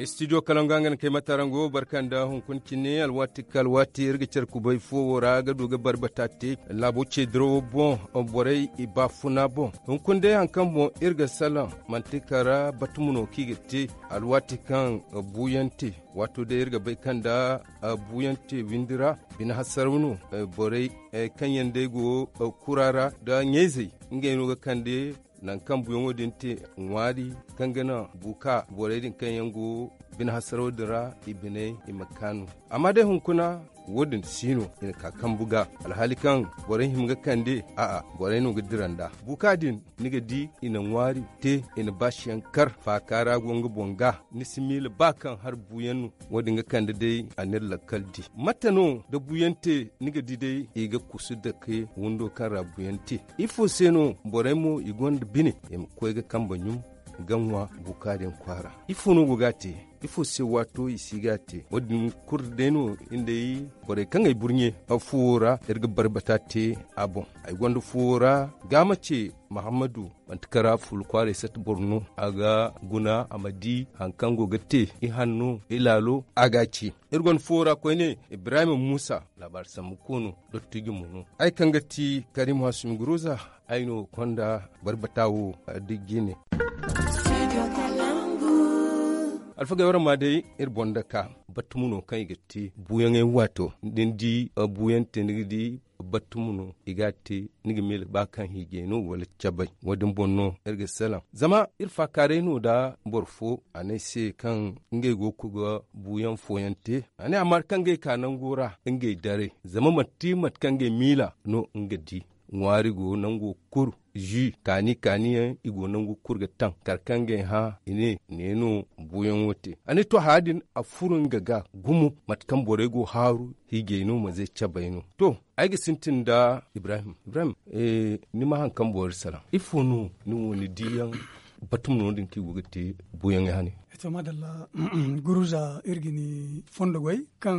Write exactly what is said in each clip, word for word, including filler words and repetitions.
Studio kalangu a nga na kay matarango barka nda hunkuna cine alwaati ka alwaati iri ga care kubay fo wo ra ga du ga barbata te laabo ce dirawo boŋ. Borey i baafuna boŋ hunkuna day hari kaŋ boŋ iri ga salaŋ manti kara batumo no kaŋ i ga te alwaati kaŋ buuyaŋ te. Waato day iri ga bay kaŋ nda buuyaŋ te windi ra bine hasaraw no. Borey kaŋ yaŋ day go kura ra nda ɲayzey ngey no ga kande nangu kaŋ buuyaŋo din te ŋwaari kaŋ ga naŋ buuka borey din kaŋ yaŋ go bine hasaraw din ra i biney i ma kaanu. Amma day hunkuna wo- din si no i na ka kambu ga alhaali kaŋ borey hima ga kande a'a borey no ga dira nd'a buuka din ni ga di i na ŋwaari te i na baasiyaŋ kar faaka ra go nga boŋ ga ni si miila ba kaŋ hari buuyaŋ no. Wo- din ga kande day a n'iri lakkal di mate no da buuyaŋ te ni ga di day i ga kusu dake windo kaŋ ra buuyaŋ te. Ifo se no borey mo i gonda bine i ma koy ga kambe ɲum ga ŋwa buuka din kwaara? Ifo no go ga a te ifo se waato i si ga a te wo- din kulu day no iri day borey kaŋ ay burɲe fuwo ra iri ga barbata te a boŋ. Ay gonda fuwo ra gaama ce mahammadu manti kara fulu kwaaray sata boro no a ga guna a ma di hari kaŋ go ga te ihanno ilaalo a ga a ci. Iri gonda fuwo ra koyne ibrahim muusa laabaari sambu koono dottijo mo no ay kaŋ ga ti karim hasumi guruza. Ay no konda barbata wo dijji ne. Alfagey waraŋ ma day iri boŋ da ka battumo no kaŋ i ga te buuyaŋey waato da ni di buuyaŋ te ni ga di battumo no i ga a te. Ni ga miila ba kaŋ hiijay no wala cabay wo- din boŋ no iri ga salaŋ zama iri faakaaray no nda boro fo a ne ay se kaŋ ngey go ga koy ga buuyaŋ fooyaŋ te. A ne amma kaŋ ngey ka nango ra ngey daray zama manti mate kaŋ ngey miila no nga di ŋwaari go nango kulu zu kaani kaani yaŋ i go nangu kulu ga taŋ kala kaŋ ga ay hã i ne ne no buuyaŋo te. A ne to haya din a furo nga ga gumo mate kaŋ borey go haaru hiijay no manze cabay no. To ay ga sintin nda ibrahim ibrahim ni ma hari kaŋ boro salaŋ ifo no ni wo ni diiyaŋ batuma no din kaŋ i go ga te buuyaŋey hane? To madalla guruza iri ga ni fondo goy kaŋ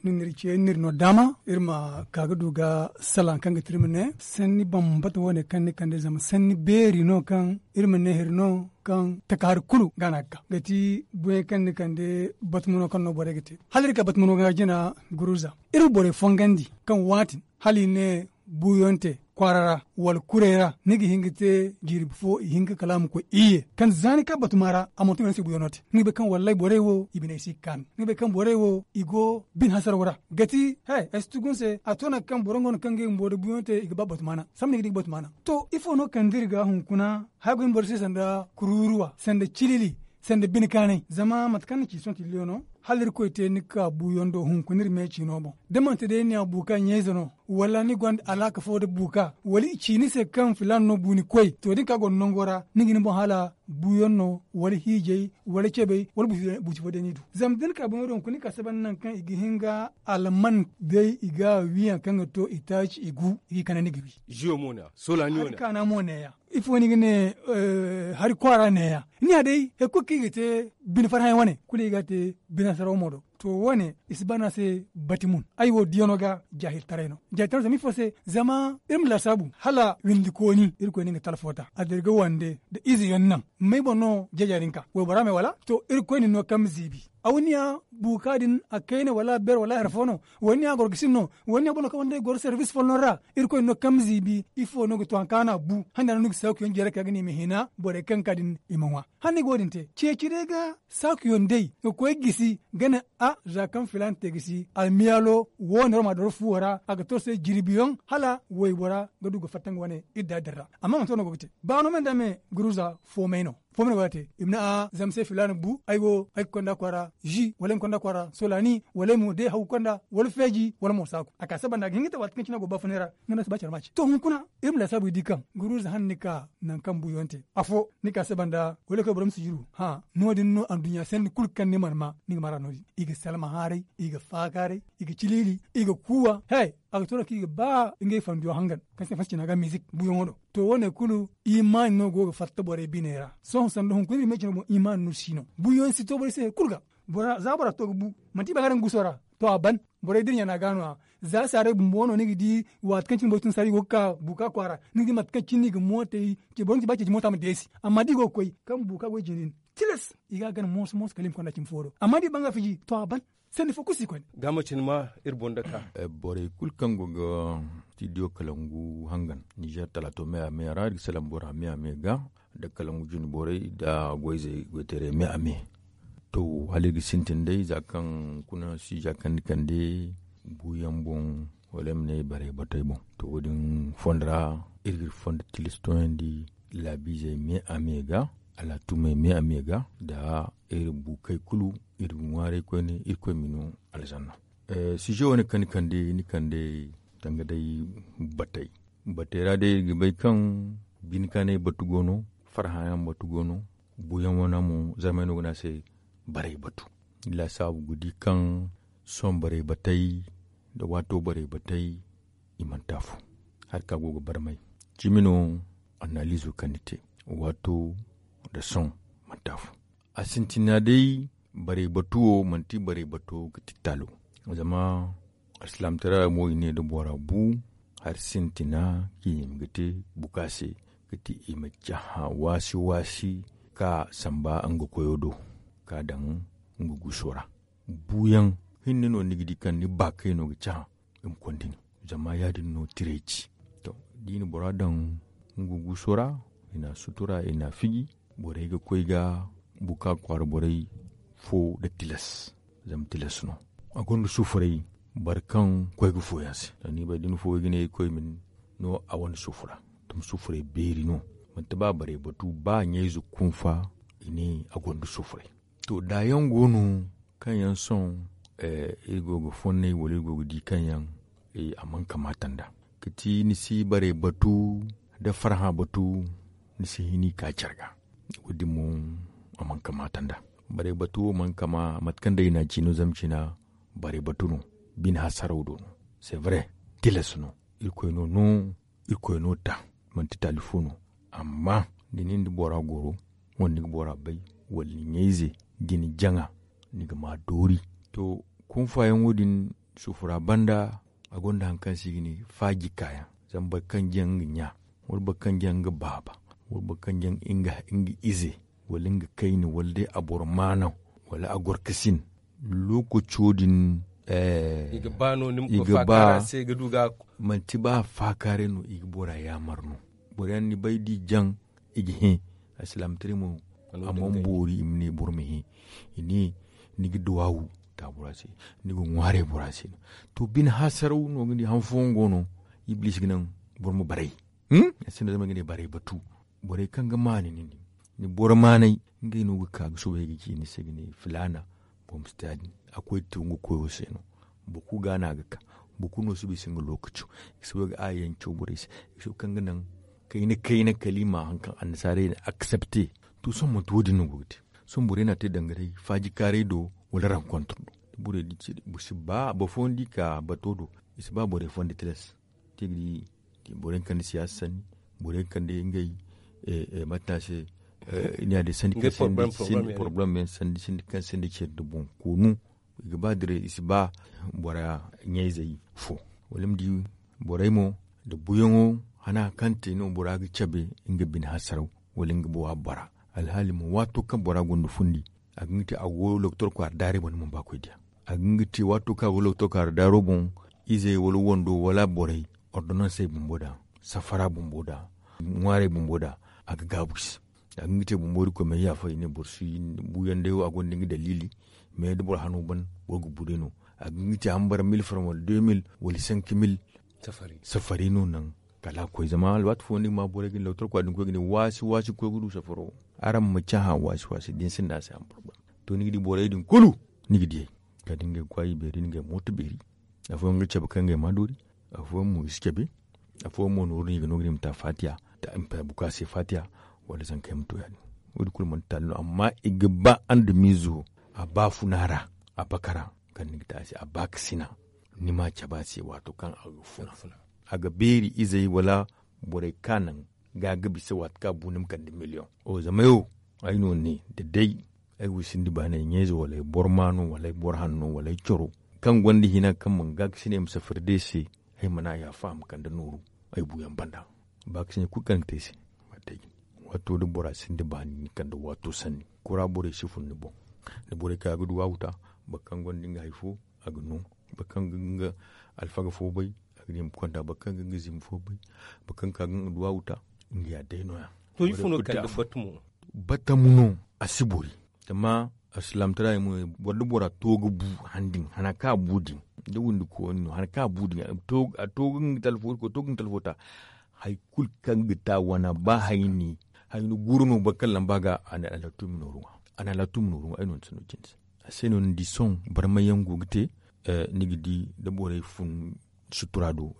ni n'iri ce ni n'iri no daama iri ma ka ga du ga salaŋ kaŋ ga ti iri ma ne sanni bambata wo- ne kaŋ ni kande zama sanni beeri no kaŋ iri ma ne hari no kaŋ taka hari kulu ga no a ga ka ga ti buuyaŋ kaŋ ni kande batuma no kaŋ no borey ga te hala iri ka batuma no ga jina guruza iri ma borey fongandi kaŋ waati hala i ne buuyaŋ te kwaara ra wala kurey ra ni ga hin ga te jirbi fo i hin ga kala a ma koy iyye kaŋ za ni ka batuma ra a mana to i mana se buuyaŋo te ni ga bay kaŋ wallaahi borey wo i biney si ga kaanu ni ga bay kaŋ borey wo i go bine hasaraw ra ga ti he ay si tugu ni se a to nangu kaŋ boro nga no kaŋ ga i bumbo nda buuyaŋo te i ga ba batuma naŋ sambu ni ga di ga batuma naŋ. To ifo no kande iri ga hunkuna haya go ni boro se sanda kururuwa sanda cilili sanda bine kaanay zama mate kaŋ ni ci sohõ tilliyo no hala irkoy te ni ga ka buuyaŋ do hunkuna iri me ciino boŋ da manti day ni a buuka ɲayze no wala ni gonda alaaka fo nda buuka wala i ci ni se kaŋ filaana no bu ni koy to da ni ka gonda nango ra ni ga ni boŋ hala buuyaŋ no wala hiijay wala cebay wala buuci fo day ni du zama da ni ka buuyaŋ do hunkuna ni ka sabanda nangu kaŋ i ga hin ga alman day i ga wiyaŋ kaŋ ga to i taaci i gu i ga i kande ni ga wi. Hari kaana mo neeya ifo no i ga ne hari kwaara neeya ni ya day hari kulu kaŋ i ga te bine farhã yaŋ wane kulu i ga a te bine saraw mo do. To wo- ne i si ba no a se bati mun ay wo diyaŋo ga jaahiltaray no jaahiltaray no zama ifo se zama iri ma laasaabu hala windikooni irkoy no nga talfo ta a dira ga wande nda ize yaŋ naŋ may boŋ no jeeja din ka waybora me wala to irkoy na ni no kaŋ ma ziibi awniya buuka din a kayna wala beer wala hari fo no wala ni a gorgasin no wala ni a boŋ no kaŋ wande goro servis folloŋ ra irkoy no kaŋ ma ziibi ifo no ga to hari kaŋ a na a bu handa no ni ga saakuyaŋ jeere ka ga ne i ma hina borey kaŋ ga ka din i ma ŋwa hala ni ga wo- din te ceeci day ga saakuyaŋ day ga koy gisi ga ne a za kaŋ filaana te gisi almiyaalo wo- ne war ma a doro fuwo ra a ga to se jirbiyaŋ hala waybora ga du ga fatta nga wane idda din ra amma manti wo- ne go ga te ba no me nda me guruza foomay no foomay no go ga te i ma ne a zama se filaana bu ay wo ay ga konda kwaara zi wala ay ma konda kwaara solaani wala ay mo day haw ga konda wala feeji wala mo saaku a ka saba nda a ga hin ga te waati kaŋ cine a go baafunay ra nga no si ba care ma ci to hunkuna iri ma laasaabu i di kaŋ guruza hane ni ka nangu kaŋ buuyaŋ te afo ni ka saba nda wala ay koy boro ma si jiru hã no- din no adduɲɲa sanni kulu kaŋ ni mana ma ni ga mara no- din i ga salma haaray i ga faakaaray i ga ciliili i ga kuuwa he a ga to no kaŋ i ga ba ngey fandiyo hangan kaŋ se fansicina ga mizik buuyaŋo do to wo- ne kulu imaani no go ga fatta borey biney ra sohõ sanda hunkuna iri ma ay cine boŋ imaani no si no buuyaŋ si to borey se hari kulu ga za bora to ga bu manti i ba ga daŋ guso ra to a ban Borey da iri ɲaana ga no- ya za saaray bumbo no ni ga di. Waati kaŋ cine boro tun saaray i go ga ka buuka kwaara ni ga di mate kaŋ cine no i ga mootey. Boro ma ci ba ceeci moota ma deesi. Amma da i go ga koy kaŋ buuka goy jinin tilas i ga a gana mooso mooso kala i ma konda cimi fo do. Amma da i banga fiji to a ban. Sanni fo kulu si koy. Gaama cine ma iri boŋ da ka. Borey kulu kaŋ go ga tiidiyo kalangu hangan nizer talaato me a me ra iri ga salaŋ bora me a me ga nda kalangu jine borey nda goyzey goyteerey me a me. To hala iri ga sintin day za kaŋ kuna si za kaŋ ni kande buuyaŋ boŋ wala ay ma ne barey batey boŋ. To wo- din fondo ra iri ga iri fondo tilas tooyandi laabiizey me a me ga alaatumey me a me ga nda iri buukey kulu iri ga ŋwaaray koyne irkoy ma i no alzanna. Size wane kaŋ ni kande ni kande danga day batey batey ra day iri ga bay kaŋ bine kaanay batu go no farhã yaŋ batu go no. Buuyaŋ wane mo zarmey no ga ne a se barey batu. Ni laasaabu ga di kaŋ sohõ barey batey nda waato barey batey i manti afo. Hari kaŋ a go ga barmay cimi no annaaliizo kaŋ ni te waato nda sohõ manti afo. A sintina day barey batu wo manti barey bato ga ti taalo. Zama alsilaamataray ra mo i ne da bora bu hari sintina kaŋ i ma ga te buka se ga ti i ma cahã waasi waasi ka samba nga koyo do ka daŋ nga guuso ra. Buuyaŋ hinne no ni ga di kaŋ ni baakay no ga cahã i ma konda ni. Zama ya- din no tiray ci to da i na bora daŋ nga guuso ra i na a sutura i na a fiji. Borey ga koy ga buka kwaara borey fo nda tilas. Zama tilas no a gonda sufuray boro kaŋ koy ga fo yaŋ se. Zama ni bay da ni fo ga ne koy ma ni no a wane sufura. Tuma sufuray beeri no manti ba borey batu ba ɲayze kunfa i ne a gonda sufuray. To da yaŋ go no kaŋ yaŋ sohõ iri go ga fonnay wala iri go ga di kaŋ yaŋ a mana kamaata nd'a. Ga ti ni si barey batu nda farhã batu ni si hin i ka care ga. Wo- din mo a mana kamaata nd'a. Barey batu wo mana kama mate kaŋ day i n'a ci no zama cina barey batu no. Bine hasaraw do no c'est vrai. Tilas no irkoy no no. Irkoy no ta manti taali fo no. Amma da ni nda bora goro wala ni ga bora bay wala ni ɲayze da ni jaŋa ni ga ma doori. To kunfaayaŋo din sufura banda a gonda hari kaŋ se i ga ne faaji kaayaŋ. Zama boro kaŋ jaŋ nga ɲa wala boro kaŋ jaŋ nga baaba wala boro kaŋ jaŋ nga ize wala nga kayna wala day a boro maanaŋ wala a goro ka sin. Lookaco din i ga ba no ni ma koy faakaara se ga du ga. Manti ba faakaaray no i ga bora yaamar no. Boro yaŋ ni bay da i jaŋ i ga hẽ. Alsilaamataray mo a mana boori i ma ne boro ma hẽ. I ne ni ga duwaawu ta bora se ni ga ŋwaaray bora se no. To bine hasaraw no ga ne han fooyaŋ go no ibliisi ga naŋ boro ma baray. A sinda zama ay ga ne baray batu. Borey kaŋ ga maani ni di ni boro maanay ngey no ga ka ga soobay ga ci ni se ga ne filaana. Boro ma si te ya- din a koy ga te nga koyo se no. Boro kulu ga no a ga ka. Boro kulu no si bay i se nga lookaco i si bay ga aayayaŋ caw borey se. I si bay kaŋ ga naŋ kayna kayna kala i ma hari kaŋ annasaarey na aksepte. To sohõ manti wo- din no go ga te. Sohõ borey no a te danga day faajikaaray do wala rankontre do. Da borey di ci boro si ba boro fooyaŋ di ka bato do i si ba borey fondo tilas. Te ga di borey kaŋ da siyaasa sanni borey kaŋ da ngey mate no a se. Ni a day sanni kaŋ sinda porobalem yaŋ sanni sinda kaŋ sinda care nda boŋ koonu. I ga ba diray i si ba bora ɲayzey fo. Wala ni ma di borey mo nda buuyaŋo hana hari kaŋ te no bora ga cabe nga bine hasaraw wala nga bowa bora. Alhaali mo waato kaŋ bora gonda fundi a ga nga te a go doktor kwaara daaray boŋ ni mana ba koy diya. A ga nga te waato kaŋ a go doktor kwaara daaro boŋ izey wala wando wala borey ordonnansey bumbo da safara bumbo da ŋwaarey bumbo da a ga gaabu i se. A ga nga te bumbo irkoy ma yaafa i ne boro si buuyaŋ day wo a gonda nga daliili. Mais da boro hano ban boro ga bu day no. A ga nga te a ma bara mil franc wala deux mille wala cinq mille. Safari no naŋ kala a koy zama alwaati fooyaŋ ni ga ma borey ga ni lawtar kwa din koy ga ne waasi waasi koy ga du safaro. Araŋ ma cahã waasi waasi da ni sinda a se a ma boro ban. To ni ga di borey din kulu ni ga diyey kala da ngey ga kwaay beeri ngey mooto beeri. Afooyaŋ ga cabe kaŋ ngey ma doori. Afooyaŋ mo i si cabe. Afooyaŋ mo nooru no i ga no ga ne i ma ta faatiya. Buka se faatiya wala zanka yaŋ ma to ya- din. Wo- din kulu manti taali no amma i ga ba andamiizo a baafuna ra a bakara kaŋ ni ga te a se a baakasina. Ni ma cabe a se waato kaŋ a ga funa a ga beeri izey wala borey kaŋ a naŋ ga a ga bisa waati kaŋ a bu ni ma kande miliyoŋ. Zama ay wo ay no ne da day ay wisindi baanay ɲayze wala ay boro maano wala ay boro hanno wala ay coro. kaŋ gonda hina kaŋ mana gaakasinay ma safari day se. Ay mana yaafa a ma kande nooru ay buuyaŋ banda. Baakasinay kulu kaŋ ga te ay se. Waato da bora sinda baani ni kande waato sanni kura borey si fun ni boŋ. Da borey kaŋ a ga du a wuta boro kaŋ gonda nga hari fo a ga no. Boro kaŋ ga nga alfaga fo bay a ga ne i ma konda boro kaŋ ga nga zimba fo bay. Boro kaŋ ka ga nga du a wuta nga ya day no- ya. To ifo no ga kande batu mo? Batamu no a si bori. Zama alsilaamataray mo boro da bora to ga bu han din han a ka bu din da windi kooni no han a ka bu din a to ga nga talfo ta hari kulu kaŋ ga ta wana ba hayni hayni guru no boro kaŋ lamba ga a na alaatu ma nooru ŋwa. A na alaatu ma nooru ŋwa ay no ni sanno cindi se. A se no ni di sohõ barmay yaŋ go ga te. Ni ga di da borey fun sutura do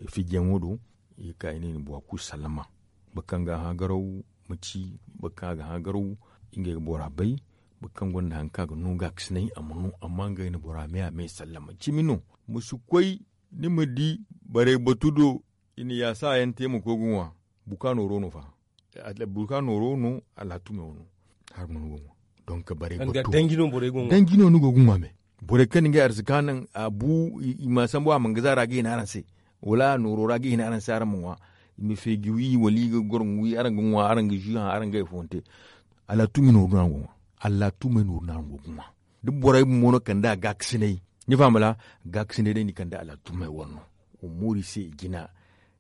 fijiyaŋo do i ga ka i ne i na bora kulu sallama. Boro kaŋ ga hã garaw ma ci boro kaŋ a ga hã garaw. Ngey ga bora bay boro kaŋ gonda hari kaŋ a ga no gaakasinay a ma no amma ngey na bora me a me sallama cimi no. Ma si koy ni ma di barey batu do i na yaasa yaŋ te ma koy ga ŋwa. Buka nooro no fa. Buka nooro no alaatu me wo no. Hari no ni go ga ŋwa. Donk barey batu danji no ni go ga ŋwa me. Borey kaŋ na ngey arzaka naŋ a bu i ma sambu a mana ga zaara ga hina araŋ se wala a nooro ra ga hina araŋ se araŋ ma ŋwa. I ma feeji wi wala i ga goro wi araŋ ga ŋwa araŋ ga zu haŋ araŋ ga ay fo ni te. Alaatu me nooru no araŋ go ga ŋwa. Alaatu me nooru no araŋ go ga ŋwa. Da borey bumbo no kande a gaakasinay ni faham wala? Gaakasinay day ni kande alaatu me wane no. Wa mooru i se i jina.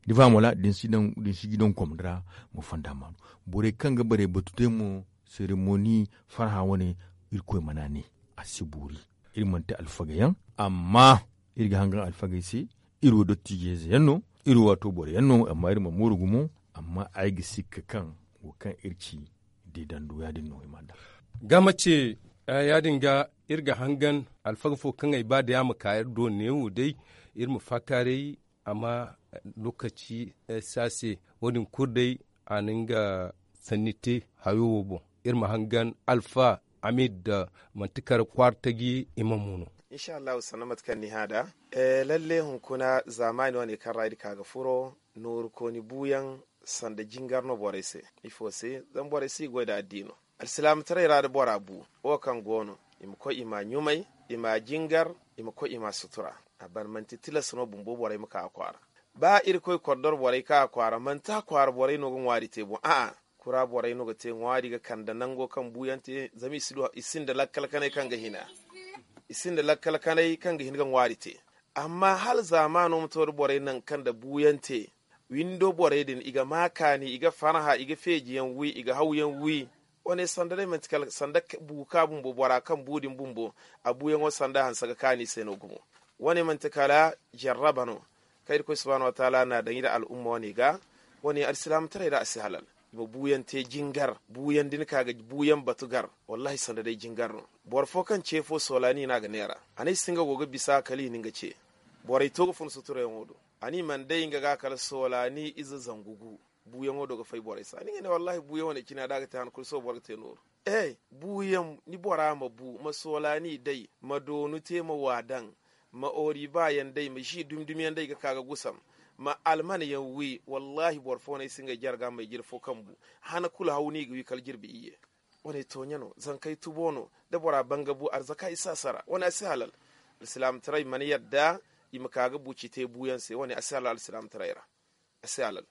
Ni faham wala? Da ni si jidaŋ komandi ra ma fonda maanu. Borey kaŋ ga barey batu te mo seremoni farhã wane. Irkoy mana ne a si boori. Iri manti alfagayaŋ amma iri ga hangan alfagey se. Iri wo dottiijey ze yaŋ no. Iri wo waato boro yaŋ no amma iri ma mooru gumo. Amma ay ga sikka kaŋ wo kaŋ iri ci deedando ya- din no i ma daŋ. Ga mace ya- din ga iri ga hangan alfaga fo kaŋ ay ba day a ma ka iri do neewo day. Iri ma faakaaray amma lokaci si a se. Wo- din kulu day a na nga sanni te hayo wo boŋ. Iri ma hangan alfa amid da manti kar kwaara taji i ma mo no. Insha allahu sanna mate kaŋ ni hã nd'a. Lalle hunkuna zaamaani wane kaŋ ra iri ka ga furo nooru kooni buuyaŋ sanda jingar no borey se. Ifo se? Zama borey si goy nda addiino. Alsilaamataray ra da bora bu wo kaŋ go no i ma koy i m'a ɲumay, i m'a jingar, i ma koy i m'a sutura. A ban manti tilas no bumbo borey ma ka a kwaara. Ba irkoy kordor borey ka a kwaara manti a kwaara borey no ga ŋwaari te boŋ a'a. Kura borey no ga te ŋwaari ga kande nango kaŋ buuyaŋ te zama i sinda lakkal kanay kaŋ ga hina. I sinda lakkal kanay kaŋ ga hin ga ŋwaari te. Amma hala zaamaano ma to da borey naŋ kaŋ nda buuyaŋ te. Windo borey din i ga ma kaani i ga farhã i ga feejiyaŋ wi i ga hawyaŋ wi. Wane sanda day manti kala sanda buuka bumbo bora kaŋ bu din bumbo. A buuyaŋo sanda hanse ga kaani se no gumo. Wane manti kala jarraba no kaŋ irkoy subhaanahu wataala n'a daŋ iri al'umma wane ga. Wane alsilaamataray ra a si halal. I ma buuyaŋ te jingar buuyaŋ da ni ka ga buuyaŋ batu gar. Wallahi sanda day jingar no. Boro fo kaŋ ce fo soolaani no a ga neera. A ne ay si nga go ga bisa kala i na nga ce. Borey to ga fun suturayaŋo do. A ne i mana day nga ga kala soolaani ize zangu gu. Buuyaŋo do ga fay borey se a ne nga ne wallahi buuyaŋ wane cine a da ga te han kulu sohõ boro ga te nooru. E buuyaŋ ni bora ma bu ma soolaani day ma doonu te ma wa daŋ. Ma oori baayaŋ day ma zi dumi dumi yaŋ day ga ka ga gusam. Ma almana yaŋ wi wallahi boro fo no ay si ngey jarga ma ay jire fo kaŋ bu. Hana kulu haw no i ga wi kala jirbi iyye. Wane tooɲe no zankey tubo no da bora ban ga bu arzaka i si a sara wane a si halal. Alsilaamataray mana yadda i ma ka ga buuci te buuyaŋ se wane a si halal alsilaamataray ra. A si halal.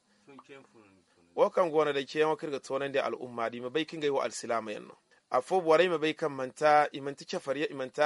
Wo kaŋ go no day ceeyaŋo kaŋ iri ga toonandi al'umma da i ma bay kaŋ ngey wo alsilaama yaŋ no. Afo borey ma bay kaŋ manti i manti cafariya i manti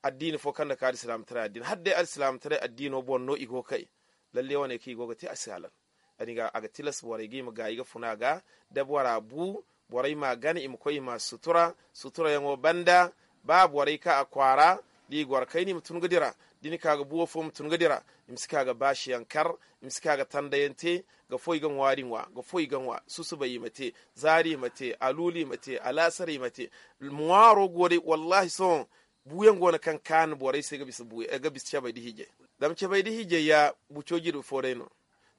addiini fo kaŋ na ka da alsilaamataray addiini hala day alsilaamataray addiino boŋ no i go ga kay. Lalle wane kaŋ i go ga te a si halal. A ga tilas borey ga i ma gaayi ga funa ga da bora bu borey m'a gana i ma koy i m'a sutura. Suturayaŋo banda ba borey ka a kwaara da i goro kayna i ma tun ga dira. Da ni ka ga buwo fo ma tun ga dira. I ma si ka ga baasiyaŋ kar. I ma si ka ga tandayaŋ te. Ga fo i ga ŋwaari ŋwa ga fo i ga ŋwa susubay i ma te. Zaari i ma te aluulu i ma te alaasar i ma te. Ŋwaaro go day wallahi sohõ. Buuyaŋ go no kaŋ kaanu borey se ga bisa cabay da hiijay. Zama cabay da hiijay ya buco jirbi fo day no.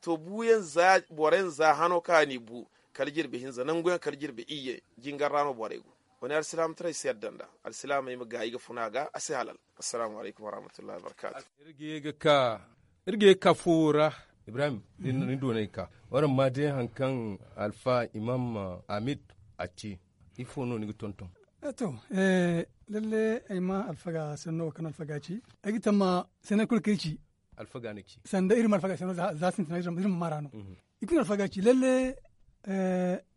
To buuyaŋ za boro yaŋ za hano kaŋ a n'i bu kala jirbi hinza nangu yaŋ kala jirbi iyye. Jingar ra no borey go. Wane alsilaamataray si yadda nd'a. Alsilaamey ma gaayi ga funa ga a si halal. Assalaamu alaykum warahmatullahi wabarkaatu. Iri ga ye ga ka foowo ra. Ibrahim ni doonay ka waraŋ ma day hari kaŋ alfa imam amid a ci. Ifo no ni ga tonton? To, lalle ay ma alfaga sanno wo kaŋ alfaga ci. Ay ga tamma sanno kulu kaŋ ay ci, sanda iri ma alfaga sanno za sintina iri ma mara no. Ikulu alfaga ci lalle.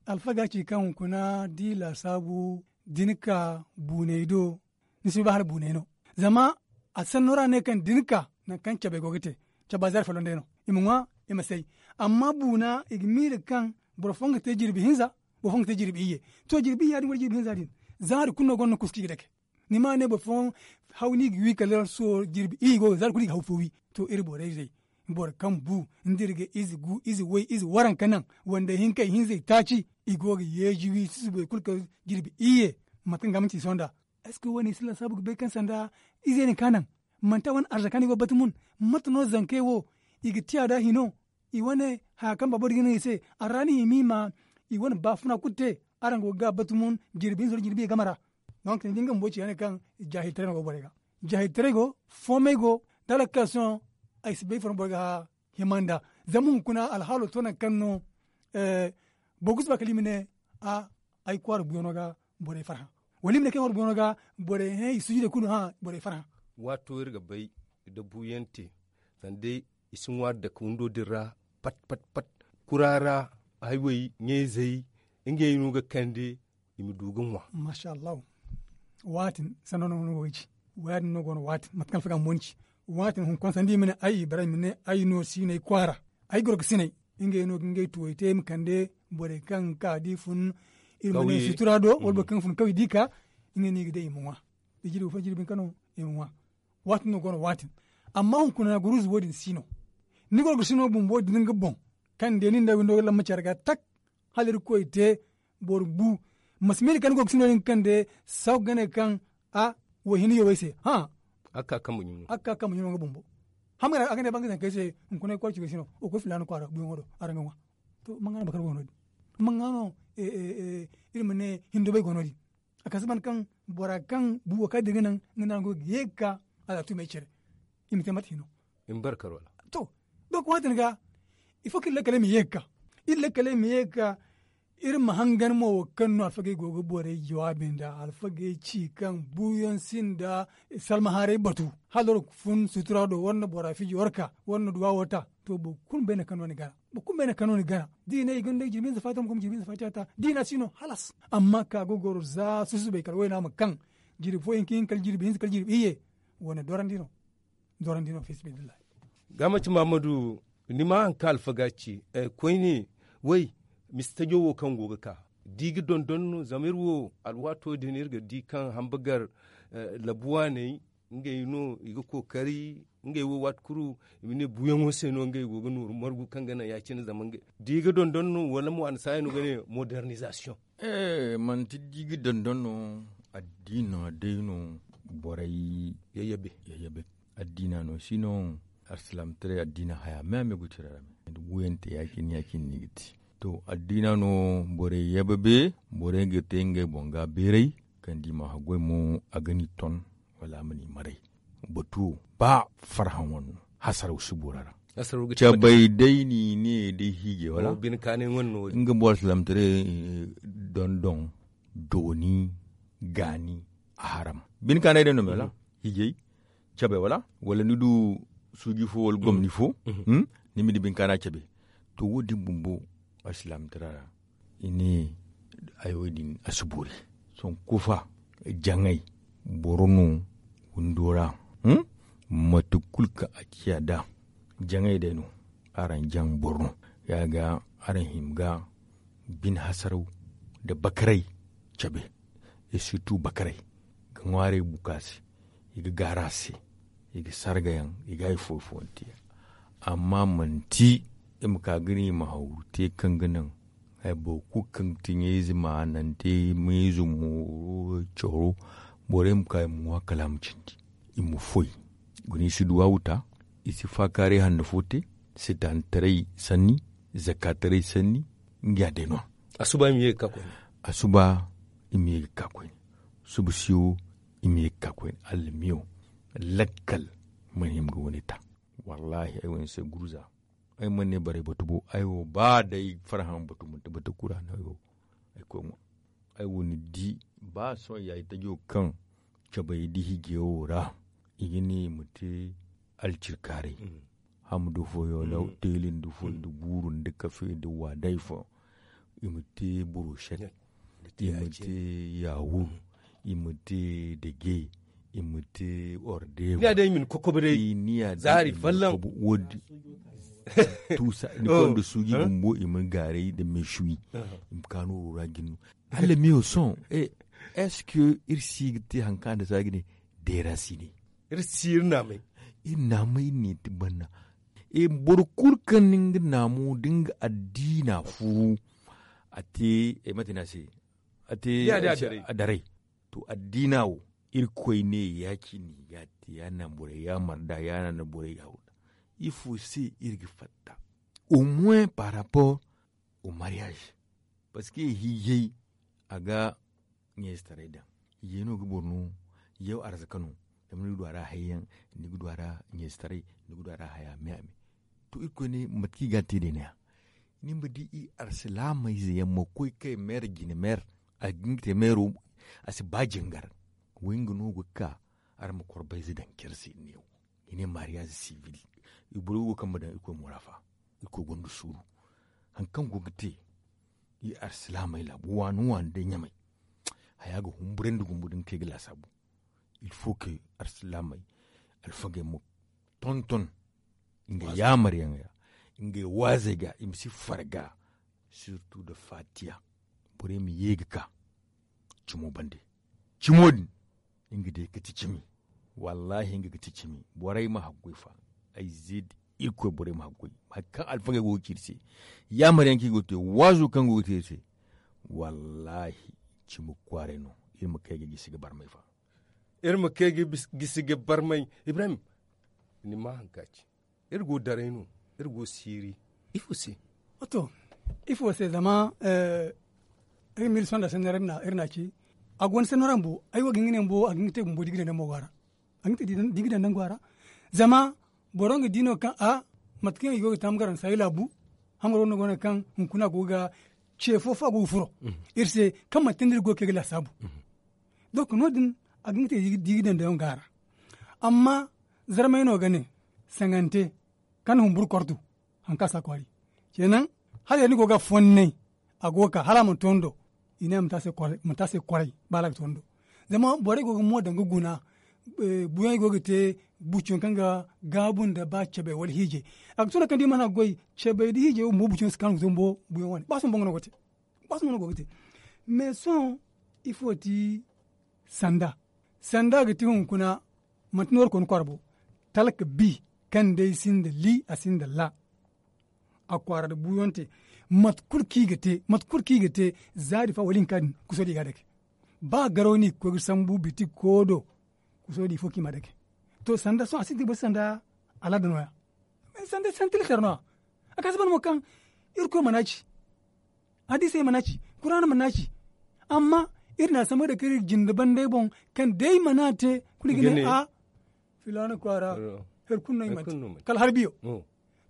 Alfaga ci kaŋ hunkuna da i laasaabu da ni ka buuney do, ni si bay ba hala buuney no. Zama a sanno ra ne kaŋ da ni ka nangu kaŋ cabey go ga te, caba zaari folloŋ day no. I ma ŋwa, i ma say. Amma buuna i ga miila kaŋ boro fooyaŋ ga te jirbi hinza, boro fooyaŋ ga te jirbi iyye. To jirbi iyya din wala jirbi hinza din, zaari kulu no gonda ni kusu kaŋ i ga dake. Ni ma ne boro fooyaŋ haw no i ga wi kala sohõ jirbi iyye go ga zaari kulu i ga haw fo wi. To iri borey day, boro kaŋ bu nda iri ga ize gu ize way ize waranka naŋ, wande hinkey hinzey taaci, i go ga yeeji wi susubay kulu kala jirbi iyye. Mate kaŋ ga manti i sohõ nd'a. Est ce que wo- ne i si laasaabu ga bay kaŋ sanda izey na ka naŋ? Manti a wane arzaka no i go ga batumun? Mate no zankey wo i ga tiya nd'a hino? I wane haya kaŋ baabo din ga naŋ i se, a ra no i ma i ma i wane baafuna kulu te. Araŋ go ga gaaba batumun jirbi hinza nda jirbi iyye game ra. Donk ni di nga bumbo ci ya- ne kaŋ jaahiltaray no go borey ga. Jaahiltaray go, foomay go, da alakasiyoŋ. Ay si bay ifo no boro ga hima nd'a. Zama hunkuna alhaalo to nangu kaŋ no boro ga suba kala i ma ne, ay kwaara buuyaŋo ga borey farhã. Wala i ma ne kaŋ ay kwaara buuyaŋo ga borey hẽ i suujudey kulu hã borey farhã. Waato iri ga bay da buuyaŋ te, sanda i si ŋwa dake windo din ra, pat pat pat. Kura ra haywey ɲayzey, ngey no ga kande i ma du ga ŋwa. Maasa allahu. Waatin sanno no go ga ci. Waadin no go no waatin mate kaŋ alfaga mo ni ci. Waatin hunkuna sanda i ma ne ay ibrahim ne ay no siinay kwaara. Ay goro ga sinay. Ngey no ga ngey tuwey te i ma kande borey kaŋ ga ka da i fun, iri ma ne sutura do wala boro kaŋ ga fun kawye da i ka. Ngey no i ga day i ma ŋwa. Da jirbi fo jirbi hinka no i ma ŋwa. Waatin no go no waatin. Amma hunkuna guruuza wo- din si no. Ni goro ga sino bumbo din nga boŋ, kaŋ day nin da windo ga lamma care ga tak. Hala irkoy te boro bu. Ma si miila kaŋ ni go ga sino din kaŋ day saw ga ne kaŋ a wo hini yawey se. Hã. A ga ka kambe ɲuno nga bumbo. Hama ga ne a ga ne bangay zankey se, hunkuna ay kwaara ci ga sino wo koy filaana kwaara buuyaŋo do araŋ ga ŋwa. To manga no bakar go no- din? Manga no iri ma ne hindobay go no- din? A kasa ban kaŋ bora kaŋ buubo kaŋ din ga naŋ nga no araŋ go ga ye ga ka alaatumey care. I ma te mate hino. I ma barkar wala? To, donk waatin ga ifo kaŋ iri lakkaley ma ye ga ka. Iri lakkaley ma ye ga ka. Iri ma hangan mo wo kaŋ no alfagey go ga borey jawaabi nda alfagey ci kaŋ buuyaŋ sinda salmaharay batu. Hala war ga fun sutura do war na bora fiji war ka war na duwa wo ta. To boro kulu ma bay nangu kaŋ no ni gana. Boro kulu ma bay nangu kaŋ no ni gana. Da i ne i ga ni day jirbi hinza faata ma guma jirbi hinza faata ta da i na si no halas. Amma ka ga goro za susubay kala wayna ma kaŋ jirbi fo hinka hinka kala jirbi hinza kala jirbi iyye. Wane dorandi no. Dorandi no fi sabilillahi. Ga manti mahammadu, ni ma hari kaŋ alfaga ci koyne, way, misi tajo wo kaŋ go ga ka da i ga dondon no zama iri wo alwaato din iri ga di kaŋ hambagar labu waaney, ngey no i ga kookari ngey wo waati kulu i ma ne buuyaŋo se no ngey go ga nooru margu kaŋ ga naŋ ya- cine zama ngey da i ga dondon no wala mo a na saayi no ga ne modernizasiyoŋ? Manti da i ga dondon no. Addiina day no. Borey yayyabe. Addiina no si no. Alsilaamataray addiina haya me a me go tira ra me. Wuyante ya- cine ya- cine no i ga te. To addiina no borey yayyabe. Borey ga te ngey boŋ ga beeray. Kaŋ da i ma haggoy mo a ga ni ton wala a ma ni maray. Batu wo ba farhã wane no. Hasaraw si bora ra. Cabay day no i ne day hiijay wala? Nga boro alsilaamataray dondon, dooni, gaani, a haram. Bine kaanay day no me wala? Hiijay, cabay wala? Wala ni du suuji fo wala gomni fo, ni ma di bine kaana cabe. To wo- din bumbo alsilaamataray ra i ne hayo din a si boori. Sohõ kufa, jaŋay, boro no windo ra. Mate kulu kaŋ a ciya nd'a jaŋay day no. Araŋ jaŋ boro no. Ya- ga araŋ hima ga bine hasaraw nda bakaray cabe. Sirtu bakaray ga ŋwaaray buka se. I ga gaaru a se. I ga sarga yaŋ i ga hari fooyaŋ fooyaŋ te. Amma manti i ma ka ga ne i ma hawru te kaŋ ga naŋ hari boro kulu kaŋ ga ti ɲayze ma a naŋ te ɲayze mooro coro. Borey ma ka i ma ŋwa kala a ma cindi. I ma foy guna i si duwaawu ta. I si faakaaray hanno fo te. Sitaanataray sanni, zakaataray sanni. Nga ya day no- ya. A suba i ma ye ga ka koyne. A suba i ma ye ga ka koyne. Suba siyo i ma ye ga ka koyne. Allamiyo lakkal mana hima ga wane ta. Wallaahi ay wo ni se guruza. Ay mana ne barey batu bo ay wo ba day farhã batu manti batu kura no ay wo. Ay koy ŋwa. Ay wo ni di ba sohõ ya itajo kaŋ cabay da hijiyaŋo ra i ga ne i ma te alcirkaaray. Hamdu fooyaŋ da teeli nda foy nda guuru nda kafe nda waaday fooyaŋ. I ma te buroshet, i ma te yawur, i ma te dage, i ma te ordeebu. Ni ya day i ma ni kokobo day. Zaari fallaŋ. Tuusa ni konda suuji bumbo i ma ni gaaray nda meesuwi. I ma ka nooro ra jin no. Hala meewo sohõ. Est-ce que iri si ga te hari kaŋ a na si a ga ne deera si ne? Iri si iri naamay. Iri naamay ne ti banna. Boro kulu kaŋ ni nga naamo da nga addiina furu, a te mate no a se? A te a daray. To addiina wo, irkoy ne ya cine ya te ya naŋ borey ya marda ya naŋ borey ya wurda. Ifo se iri ga fatta au moins par rapport au mariage? Parce que hiijay a ga ɲayzetaray daŋ. Hiijay no ga boro no yaw arzaka no. Zama ni ga du a ra hayyaŋ, ni ga du a ra ɲayzetaray, ni ga du a ra haya me a me. To irkoy ne mate kaŋ i ga a te day no- ya ni ma di i alsilaamey ze yaŋ ma koy kay meer jine meer. A ga hin ga te meero a si ba jingar. Way nga no ga ka araŋ ma korbayze daŋ care se i ne wo. I ne mariyaaz sivil. I boro wo kaŋ ma daŋ irkoy morafa. Irkoy gonda suuru. Hari kaŋ go ga te i alsilaamey laabu waani waani day ɲamay. Haya ga humburandi gumbu da ni kay ga laasaabu. Il faut que alsilaamey alfagey ma tonton ngey yaamaryaŋ ra, ngey waazey ga i ma si farga. Surtout nda faatiya. Borey ma ye ga ka cimo bande. Cimo din nga day ga ti cimi. Wallaahi nga ga ti cimi. Borey ma haggoy fa ay ze da irkoy borey ma haggoy. Hari kaŋ alfagey go ga ci iri se yaamar yaŋ kaŋ i go ga te waazo kaŋ go ga te iri se. Wallaahi cimi kwaaray no. Iri ma kay ga gisi ga barmay fa. Iri ma kay ga gisi ga barmay. Ibrahim, ni ma hari kaŋ a ci. Iri go daray no. Iri go siiri. Ifo se? Wato ifo se zama ay ma iri sonda sanni ra iri na a ci. A go ni sanni ra bumbo ay wo ga hin ga ne bumbo a ga hin ga te bumbo da i ga daŋ dambo go a ra. A ga hin ga te da i ga daŋ dambo go a ra. Zama boro nga di no kaŋ a mate kaŋ i go ga taamu garaŋ saayi laabu. Hamaro no go no kaŋ hunkuna go ga ce fo fo a go ga furo iri se kaŋ manti nda iri go ga kay ga laasaabu. Donc no- din a ga hin ga te da i ga daŋ dambo go a ra. Amma zarmay no ga ne sangante kaŋ na humburu kortu. Hari kaŋ a si a kwaari ceenaŋ hala yadda ni go ga a fonnay. A go ga ka hala a mana tondo. I ne a ma te a se kwaray ba hala a ga tondo. Zama borey go ga mo daŋ ga guna. Buuyaŋ go ga te buuciyaŋ kaŋ ga gaabu nda ba cabay wala hiijay. A ga tuna kaŋ da i mana goy cabay nda hiijay wo bumbo buuciyaŋ si kaanu ga to bumbo buuyaŋ wane ba sohõ boŋ no go ga te. Ba sohõ boŋ no go ga te. Mais sohõ ifo ti sanda? Sanda ga ti hunkuna manti nooru koy ni kwaara bo. Talka bi kaŋ day sinda li a sinda la. A kwaara nda buuyaŋ te. Mate kulu kaŋ i ga te zaari fa wala hinka din kuso din i ga a dake. Ba garaw no i ga koy ga sambu bitik ko do kuso din ifo kaŋ i ma a dake. To sanda sohõ a sintin ga boro se sanda alaada no- ya. Sanda santilatar no- ya. A ga a si ban mo kaŋ irkoy mana ci. Hadiisey mana ci. Kuraana mana ci. Amma iri na a sambu day kaŋ iri ga jinde bandey boŋ kaŋ day mana te kulu i ga ne a filaana kwaara. Hari kulu no i mana te kala hari biyo.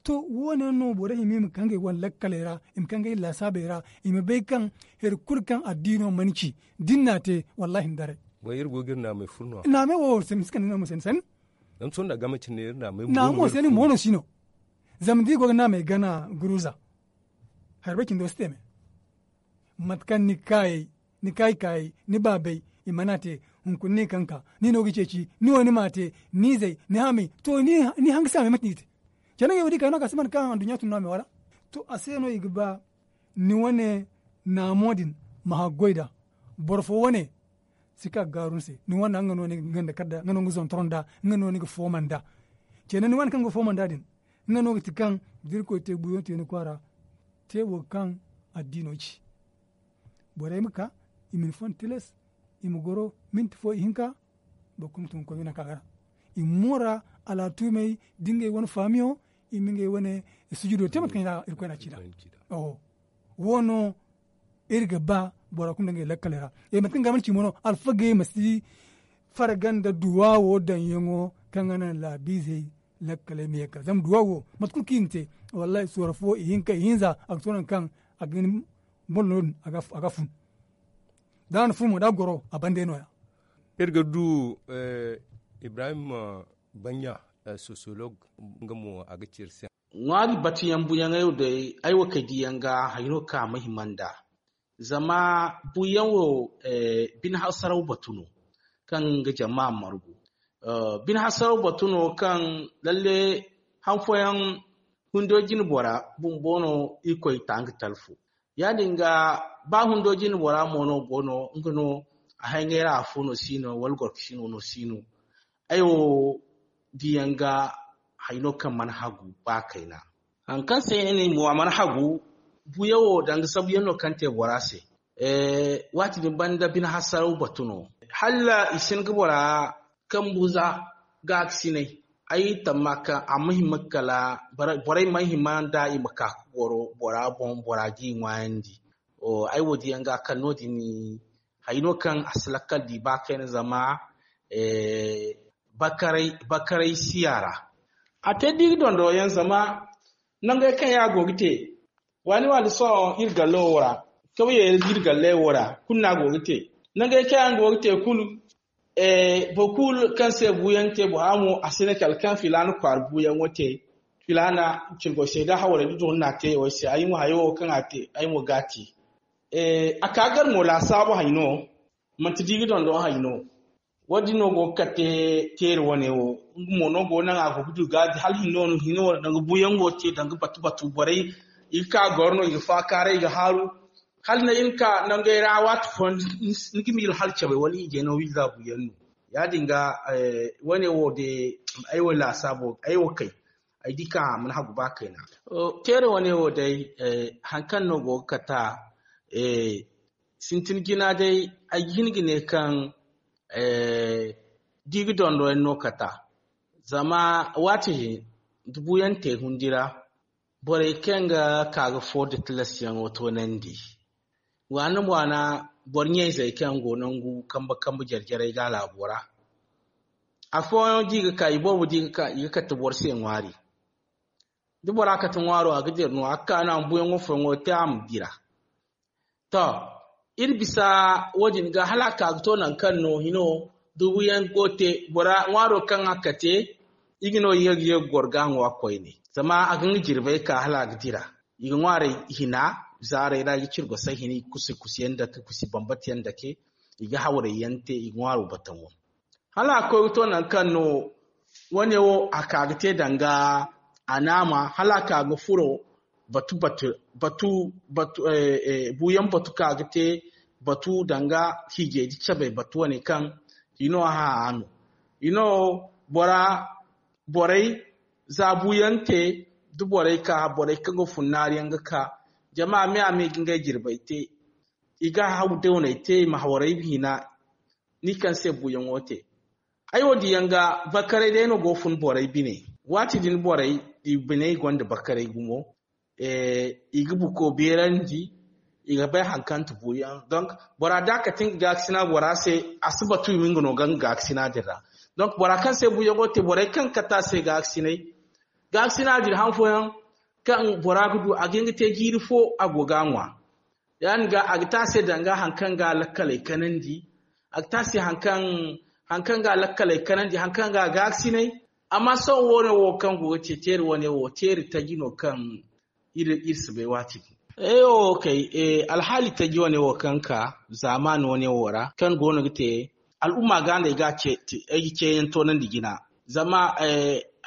To wo- ne no borey hima i ma ka ngey wane lakkaley ra i ma ka ngey laasaabey ra. I ma bay kaŋ hari kulu kaŋ addiino mana ci da ni na a te wallaahi ni daray. Naamey wo sanni si kande no ma sanni sanni. Naamo sanni mo no si no. Zama da i go ga naamey gana guruza hari bay cindo si te me. Mate kaŋ ni kaayey ni kaayi kaayey ni baabey i mana te. Hunkuna ni kaŋ ka ni no ga ceeci ni wo ni m'a te ni izey ni hamey to ni hanga saamey mate no i te. Canaŋey wo da i ka no a ga si mana ka anduɲɲa tun no a me wala? To a se no i ga ba ni wane naamo din ma haggoy nd'a. Boro fo wane si ka ga gaaru ni se ni wane nga no ni ga ganda kala nd'a nga no ni ga zontoro nd'a nga no ni ga fooma nd'a. Canaŋ ni wane kaŋ ga fooma nd'a din nga no ga ti kaŋ da irkoy te buuyaŋ te ni kwaara te wo kaŋ addiino ci. Borey ma ka i ma ni fon tilas i ma goro minti fo ihinka. Boro kulu ma tun ga koy nanka ga ra i ma moora alaatumey da ngey wane faamiyo i ma ngey wane sujudo te mate kaŋ i na irkoy na ci nd'a. Wo no iri ga ba bora kulu nda ngey lakkaley ra. Mate kaŋ ga mana ci mo no alfagey ma si farga nda duwaawo daŋyaŋo kaŋ ga naŋ laabiizey lakkaley ma ye ga ka zama duwaawo mate kulu kaŋ i na te wallahi sooro fo ihinka ihinza a ga to nangu kaŋ a ga hin boro no- din a ga fun. Da a na furo mo da goro a bande no ya. Iri ga du ibrahim banya, sociologue, nga mo a ga ci iri se. Ŋwaari batuyaŋ buyaŋey wo day ay wo kay diyaŋ ga hayno ka ma hima nda. Zama buyaŋ wo bine hasaraw batu no kaŋ ga jama margu. Bine hasaraw batu no kaŋ lalle han fooyaŋ hundo jine bora bumbo no irkoy ta nga talfu. Ya- din ga ba hundo jine bora mo no go no nga no a hangay ra afo no si no wala gorkasino no si no. Ay wo diyaŋ ga hayno kaŋ mana hagu ba kayna. Haŋ kaŋ se ni mo a mana hagu buyaŋ wo danga sabuyaŋ no kaŋ te bora se. Waati din banda bine hasaraw batu no hala i sin ga bora kambu za gaakasinay. Ay tamma kaŋ a ma hima kala borey ma hima nda i ma ka ga goro bora boŋ bora ga i ŋwaayandi. Ay wo diyaŋ ga kaŋ no- din hayno kaŋ a si lakkal di ba kayna zama bakaray siya ra. A te da i ga dondo yaŋ zama nangey kaŋ yaŋ go ga te waani waani sohõ iri gallo wo ra kawyey iri galle wo ra kulu no a go ga te. Nangey kaŋ yaŋ go ga te kulu boro kulu kaŋ se buuyaŋ te bora mo a si ne kala kaŋ filaana kwaara buuyaŋo te. Filaana cirgo seeda hawrey da doŋ no a te wo se ay mo hayo wo kaŋ a te ay mo ga a te. A ka gar mo laasaabu hay no manti da i ga dondo hay no. Wo- din no go ga kate teeri wane wo nga mo no go naŋ a go ga du ga hala hino no hino danga buuyaŋo te danga batu batu borey i ga ka goro no i ga faakaaray i ga haaru. Hala na iri ka nangey ra waati fo ni ga miila hala cabay wala i jeno wiiza buuyaŋ no. Ya- din ga wane wo de ay wo laasaabo ay wo kay ay di ka a mana hagu ba kayna. Teere wane wo day haŋ kaŋ no go ga kata sintin jina day ay ga hin ga ne kaŋ da i ga dondo yaŋ no kata. Zama waati din da buuyaŋ te hundi ra borey kaŋ ga ka ga fo da tilasyaŋo toonandi waana waana boro ɲayzey kaŋ go nangu kambe kambe jare jarey ga laabo ra. Afooyaŋ da i ga ka i boobo da i ga ka i ga kate boro se ŋwaari. Da bora kate ŋwaaro a ga dira no a ga ka no a ma buuyaŋo fooyaŋo te a ma dira. To iri bisa wo- din ga hala a ka ga to nangu kaŋ no hino da buuyaŋ go te bora ŋwaaro kaŋ a kate i ga no ye ga ye ga goro ga ŋwa koyne. Zama a ga nga jirbey ka hala a ga dira i ga ŋwaarey hina zaarey ra i ga cirgo say hina i ga kusi kusi yaŋ dake kusi bambata yaŋ dake i ga hawrey yaŋ te i ga ŋwaaro bataŋo. Hala a koy ga to nangu kaŋ no wane wo a ka ga te danga a naama hala a ka ga furo batu batu batu batu buuyaŋ batu ka ga te batu danga hiijay da cabay batu wane kaŋ i no a hã a no i no bora borey za buuyaŋ te da borey ka borey kaŋ ga fun naari yaŋ ga ka jama me a me ga ngey jirbey te i ga haw dawney te i ma hawarey hina ni kaŋ se buuyaŋo te. Ay wo diyaŋ ga bakaray day no go fun borey bine waati din borey i bine i gonda bakaray gumo i ga buko beerandi i ga bay haŋ kaŋ ti buuyaŋ donk bora da a kate nga gaakasina bora se a si batu i ma nga no ga nga gaakasina din ra. Donk bora kaŋ se buuyaŋo te borey kaŋ kate a se gaakasinay gaakasina din haŋ fooyaŋ kaŋ bora ga du a ga hin ga te jiiri fo a go ga a ŋwa. Ya- din ga a ga te a se danga haŋ kaŋ ga a lakkaley kanandi a ga te a se haŋ kaŋ ga a lakkaley kanandi haŋ kaŋ ga a gaakasinay. Amma sohõ wo- ne wo kaŋ go ga te teeri wane wo teeri taji no kaŋ iri si bay waati din. Eyo kay alhaali taji wane wo kaŋ ka zaamaani wane wo ra kaŋ go no ga te al'umma ga no ay ga ceeyaŋ toonandi jina. Zama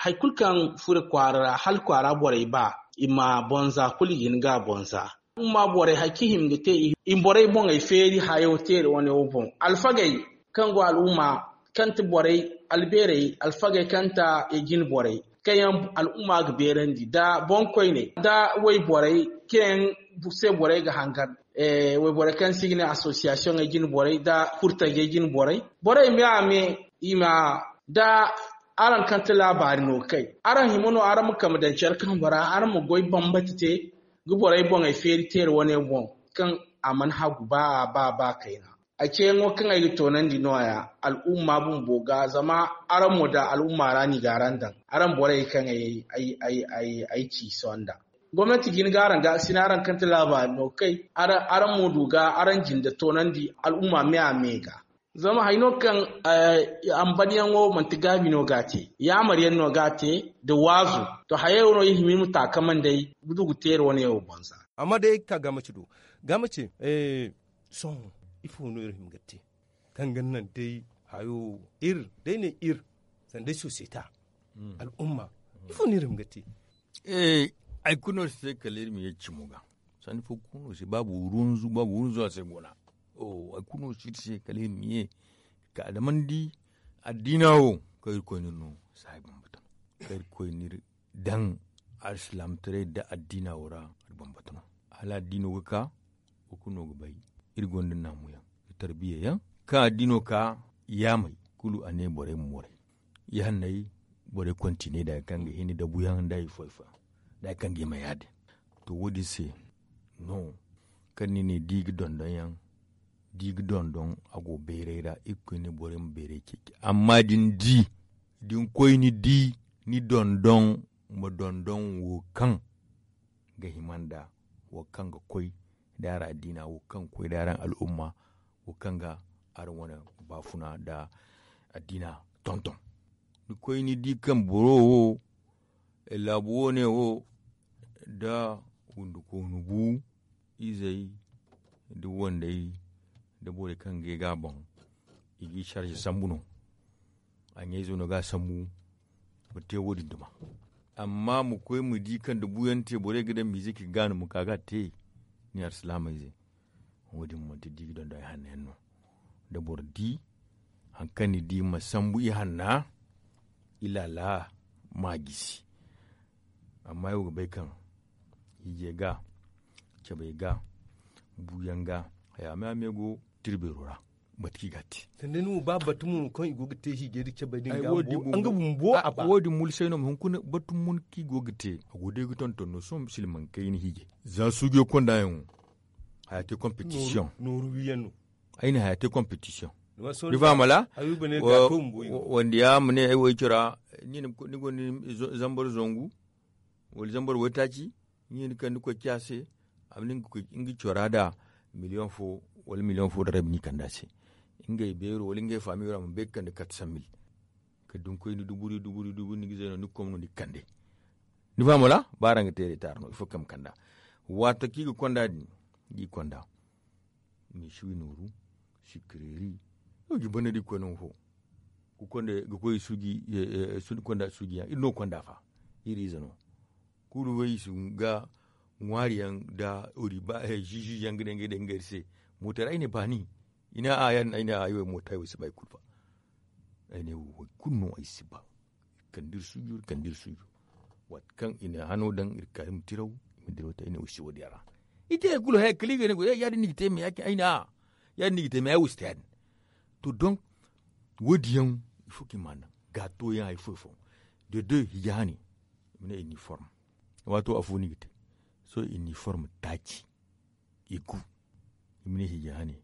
hari kulu kaŋ furo kwaara ra hala kwaara borey ba i ma bonza kulu i ga hin ga a bonza. Al'umma borey hari kaŋ i hima ga te i ma borey boŋey feeri hayo teeri wane wo boŋ alfagey kaŋ go al'umma kaŋ ti borey albeerey alfagey kaŋ ta i jine borey kaŋ yaŋ al'umma ga beerandi nda boŋkoyney nda wayborey kaŋ yaŋ se borey ga hangan wayborey kaŋ se i ga ne association ay jine borey nda furtajey jine borey borey me a me i ma da araŋ kaŋ ti laabaari no kay araŋ hima no araŋ ma kambe daŋ care kambe ra araŋ ma goy bambata te ga borey boŋey feeri teeri wane boŋ kaŋ a mana hagu ba ba ba kayna. Ay ceeyaŋo kaŋ ay ga toonandi nooya al'umma bumbo ga zama araŋ mo da al'umma ra ni ga araŋ daŋ araŋ borey kaŋ ay ci sonda. Gomnanti ga hin ga araŋ ga sina araŋ kaŋ ti laabaari no ga kay, araŋ mo du ga araŋ jinde toonandi al'umma me a me ga. Zama hari no kaŋ ambanyaŋo manti gaabi no ga a te, yaamar yaŋ no ga a te, nda waazu. To hayey wo no iri hima iri ma taakaman day gudugu teeri wane wo boŋ za. Amma day ka gaamaci do. Gaamaci. Sohõ ifo no iri hima ga te? Kaŋ ga naŋ day hayo iri day ne iri sanda ay sosiyeta, al'umma, ifo no iri hima ga te? Hari kulu no si te kala iri ma ye cimo ga. Sanda ifo kulu no si baabu runzu baabu runzu a se gona. Hari kulu no si iri se kala iri ma ye ka damandi addiina wo kaŋ iri koyne no saayi bambata no kaŋ iri koyne iri daŋ alsilaamataray nda addiina wo ra. Hala addiino ga ka wo kulu no ga bay iri gonda naamuyaŋ nda tarbiya yaŋ. Kaŋ addiino ka yaamay kulu a ne borey ma moray. Ihanney borey kontiney da hari kaŋ ga hini dabuyaŋ nda hari fooyaŋ fooyaŋ da hari kaŋ ga hima ya- din. To wo- din se no kaŋ ni ne da i ga dondon yaŋ da i ga dondon a go bayray ra. Iri ga koy ne borey ma bayray ceeci amma da ni di da ni koy ni di ni dondon ma dondon wo kaŋ ga hima nda wo kaŋ ga koy da araŋ addiina wo kaŋ ga koy da araŋ al'umma wo kaŋ ga araŋ wane baafuna nda addiina tonton. Ni koy ni di kaŋ boro wo laabu wo ne wo nda wundukoonu bu izey nda wandey nda borey kaŋ ga ay ga a boŋ i ga i sarze sambu no. A ɲayzo no ga a sambu ma te wo- din duma. Amma ma koy ma di kaŋ da buyaŋ te borey ga daŋ miize kaŋ i ga gaanu ma ka ga a te. Ni alsilaamey ze wo- din manti da i ga dondon ay hanno yaŋ no. Da boro di hari kaŋ ni di ma sambu i hanna i laala ma a gisi. Amma ay wo ga bay kaŋ hiijay ga cabay ga buuyaŋ ga haya me a me go tirbeero ra. Mate kaŋ i ga a te sanda ni wo ba batu mo kaŋ i go ga te hiijay da cabay din ga nga bumbo a ba wo- din mulsay no ma hunkuna batu mun kaŋ i go ga te a go day ga tonton no sohõ silmaŋ kayna hiijay za suujo konda yaŋ wo haya te competition nooru wiyaŋ no ay na haya te competition ni fahamala wanda ya ma ne ay wo ay cora ni gonda zambar zangu wala zambar waytaaci ni hin ga kande koy ci a se a ma ne nga cora da miliyoŋ fo wala miliyoŋ fo da rabi ni kande a se ngey beero wala ngey faamiyo ra ma bay ga kande katsan mil kala da ni koy ni duburi duburi duburi ni ga zay no ni ga kom no ni ga kande ni fahamala ba araŋ ga te reetaar no ifo kaŋ ma kanda waati kaŋ i ga konda din da i konda misiwi nooru sikireeri no ga i banda da i koy nangu fo ga koy suuji konda suuji yaŋ iri no ga konda fa iri ize no kulu way i si ga ŋwaari yaŋ nda ori ba ziizi yaŋ ga ne ngey day ngey se mooto ra ay ne baani i ne a yaadin ay ne a ay wo mooto ay wo ay si ba hari kulu fa ay ne wo hari kulu no ay si ba iri kande iri suujo iri kande iri suujo waati kaŋ i na hano daŋ iri ka iri ma tiraw i ma diraw te ay ne wo ay si wo- din a ra i te hari kulu haya kala i ga ne goy yaadin no i ga te me ya- cine ay ne a yaadin no i ga te me ay wo ay si te yaadin to donk wo- din yaŋ ifo kaŋ i ma a naŋ gaato yaŋ hari fo hari fo de deux hiija hane i ma ne iniform waato afo no i ga te sohõ iniform taaci i gu i ma ne hiija hane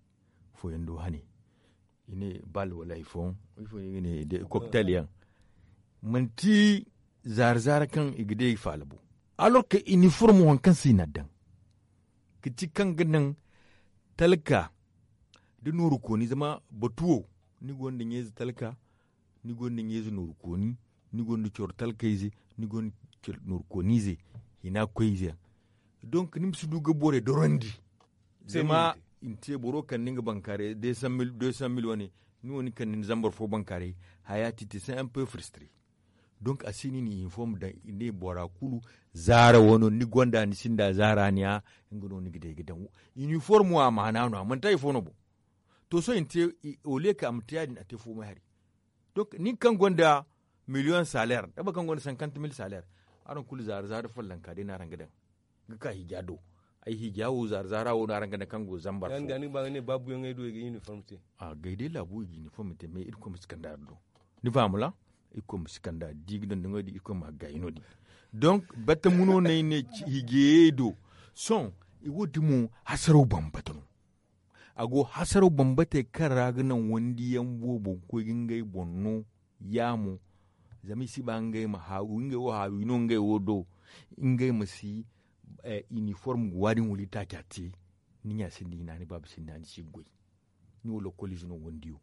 fooyaŋ do hane i ne bal wala hari fooyaŋ ifo no i ga ne de koktel yaŋ manti zaara zaara kaŋ i ga day faala bo alors que iniform waŋ kaŋ se i na a daŋ ga ti kaŋ ga naŋ talka da nooru kooni zama batu wo ni gonda ɲeeze talka ni gonda ɲeeze nooru kooni ni gonda coro talkayze ni gonda nooru koonize hina koyze yaŋ donk ni ma si du ga borey dorandi zama i na te boro kande nga bankaaray deux cent mille wane ni wo ni kande ni zambar fo bankaaray haya ti te se un peu frustre donk a si no i na uniform daŋ i ne bora kulu zaara wo no ni gonda ni sinda zaara ni ya nga no ni ga day ga daŋ uniform wo a maana no a manti hari fo no boŋ to sohõ i na te au lieu que a ma te ya- din a te foomay hari donk nin kaŋ gonda million salaire da boro kaŋ gonda cinquante mille salaire araŋ kulu zaara zaara follanka day no araŋ ga daŋ ga ka hiija do ay hiija wo zaara zaara wo no araŋ ga daŋ kaŋ go zambar fo gay day laabu i ga uniform te mais irkoy ma si kande araŋ do ni faham ra irkoy ma si kande araŋ di ga daŋ daŋo din irkoy ma a gaayi no- din donk batamu no no ay ne hiijayey do sohõ wo- din mo hasaraw bambata no a go hasaraw bambatey kaŋ ra ga naŋ wandiyaŋ boobo ga koy ga ngey boŋ no ya mo zama i si ba ngey ma haawi ngey wo haawi no ngey wo do ngey ma si Iniform ga waani wala itaaca te. Ni ɲa sinda hina ni baaba sinda hina ni si ga goy. Ni wo lokkoliize no wondiyo.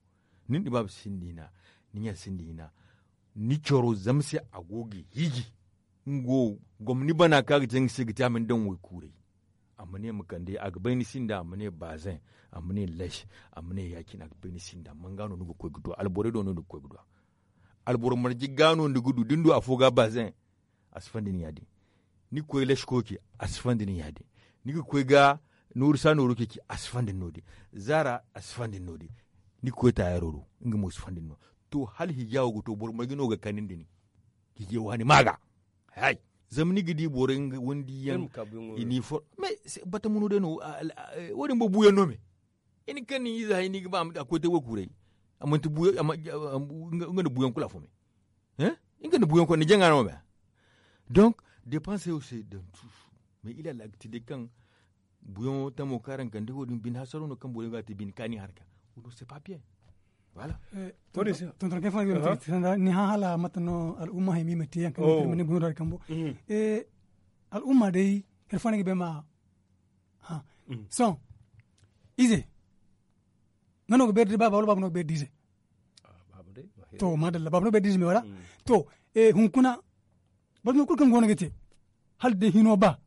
Ni nda ni baaba sinda hina. Ni ɲa sinda hina. Ni coro zama se a go ga hiiji. Nga wo gomni bana kaŋ a ga te nga se ga te a ma ni daŋ waykuuray. A ma ne ma kande a ga bay ni sinda a ma ne baazeŋ. A ma ne lash. A ma ne ya- cine a ga bay ni sinda manga no ni ga koy ga du alborey do no ni ga koy ga du. Alboro marje ga no ni ga du da ni du afo ga baazeŋ. A si fandi ni ya- din. Ni ga koy lash koy ce a si fandi ni ya- din. Ni ga koy ga nooru sa nooru ce a si fandi ni no- din. Zaara a si fandi ni no- din. Ni ga koy taayaro do nga mo si fandi ni no. To hala hijaawo ga to boro marje no ga kani nda ni. Hijay waani ma ga. Hay. Zama ni ga di borey nga windi yaŋ. Iniform. Bata muno day no. Wo- din boro buuyaŋ no me. I na kaŋ ni ize hay ni ga ba a koy te waykuuray. A manti buuyaŋ nga nda buuyaŋ kulu afo me. Nga nda buuyaŋ kulu ni jaŋa no me. Donk depanse wo se daŋ tuusu. Mais il a la ga ti day kaŋ buuyaŋo tamo kaŋ araŋ kande wo- din bine hasaro no kaŋ borey go a te bine kaani harka. Wo- din se papiye. Voilà. Tonton kay fo ni hã hala mate no al'umma hay ma i ma te yaŋ kaŋ i ma te i ma ne buuyaŋo da hari kambo. Al'umma day hari fo no ay ga bay ma hã. Sohõ ize nga no ga beeri da baaba wala baaba no ga beeri da ize? To maadalla baaba no ga beeri da ize me wala? To hunkuna boro no kulu kaŋ go no ga te hala day hino ba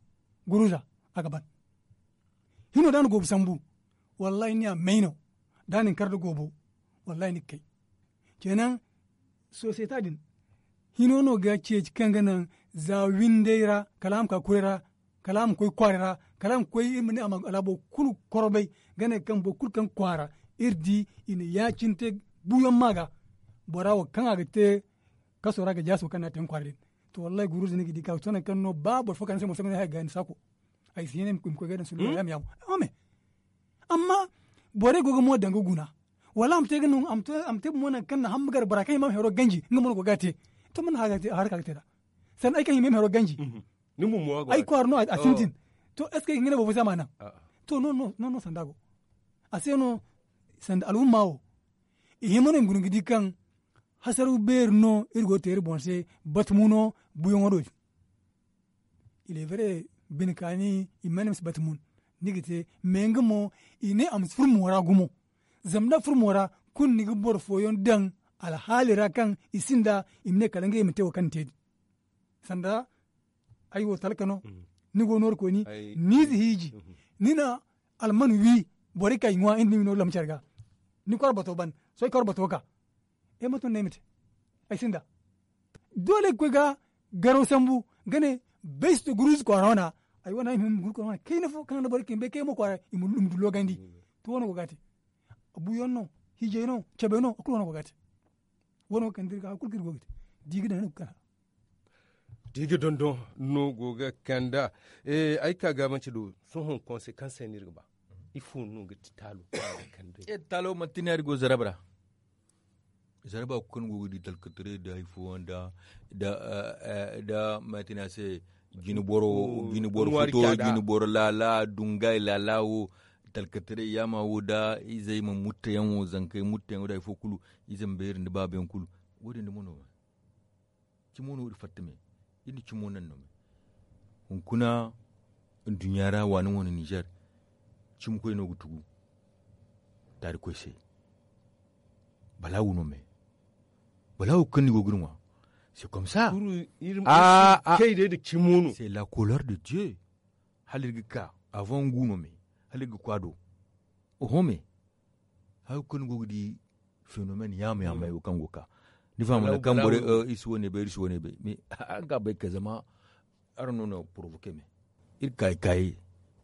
guruza a ga ban. Hino da a na goobu sambu wallahi ni a may no da a na ni kar da goobo. Wallahi ni ga kay. Kenan sosiyete din hino no ga ceeci kaŋ ga naŋ za windey ra kala a ma ka kuray ra kala a ma koy kwaaray ra kala a ma koy iri ma ne a ma alhaabo kulu korbay ga ne kaŋ boro kulu kaŋ kwaara iri di i na ya- cine te buuyaŋ ma ga bora wo kaŋ a ga te kaso ra ga jaaso kaŋ no a te nga kwaara din. To wallahi guruza ni ga di ka sohõ nangu kaŋ no ba boro fo ka ni se mo sohõ ga ne haya ga ni saako. Ay si hin ay ma koy ga ay daŋ sullo ay ma yaamo. Amma borey go ga mo daŋ ga guna wala a ma te ga no a ma te ga mo nangu kaŋ na hamba gar bora kaŋ i ma hero ganji nga mo no go ga te. To man har ka ga te da sanda ay kaŋ i ma hero ganji. Ay kwaara no a sintin. To est ce que ay ga hin ga ne boro fo se a ma naŋ? To no no sanda go a se no sanda al'umma wo i hima no i ma guna ga di kaŋ hasaraw beeri no iri go ga te iri boŋ se. Batumo no buuyaŋo do din. Il est vrai bine kaani i mana ma si batumun ni ga te mais nga mo i ne a ma si furo moora gumo. Zama da a furo moora kulu ni ga boro fooyaŋ daŋ alhaali ra kaŋ i sinda i ma ne kala ngey ma te wo kaŋ ni te din. Sanda ay wo talka no ni go nooru kooni ni ize hiiji ni na alman wi borey ka i ŋwa iri na wi no lamcar ga ni kor bato ban sohõ ay kor bato ka. Ay ma tun no ay ma te ay sinda doole ga koy ga garaw sambu ga ne bay si to guruzu kwaara wana. Ay wane ay ma hin ma guruzu kwaara wana kayna fo kaŋ a na borey kaŋ bay kay mo kwaara i ma du logandi. To wane go ga a te buuyaŋ no hiijay no cabay no a kulu wane go ga a te. Wane wo kaŋ da iri ga hari kulu kaŋ iri go ga te da i ga daŋ ni ga kala. Da i ga dondon no go ga kanda ay ka ga manci do sohõ konse kaŋ se no iri ga ba ifo no ga ti taalo kaŋ a ga kande. Taalo manti ne a iri go zarab ra. Zarba kulu kaŋ go ga di talkataray da hari fooyaŋ da da matina se jine boro jine boro futo jine boro laala dungay laala wo talkataray yaama wo da izey ma mutteyaŋ wo zankey mutteyaŋ wo da hari fo kulu ize ma beeri nda baaba yaŋ kulu. Wo- din duma no cimo no iri fatta me iri na cimo naŋ no me. Hunkuna nduɲɲa ra waani wane ninzeer cimi koy no ga tugu taari koy se. Balaawu no me balaawu kaŋ ni go ga iri ŋwa. C'est comme ça. Kay day da cimo no c'est la couleur de dieu. Hala iri ga ka avant ngu no me hala iri ga kwa do. Oho me hari kulu ni go ga di fenomène yaama yaama yaŋ wo kaŋ go ga ka ni faham wala kaŋ borey iri si wane bay iri si wane bay mais araŋ ga bay kay zama araŋ no na provoquer me. Iri kaayi kaayi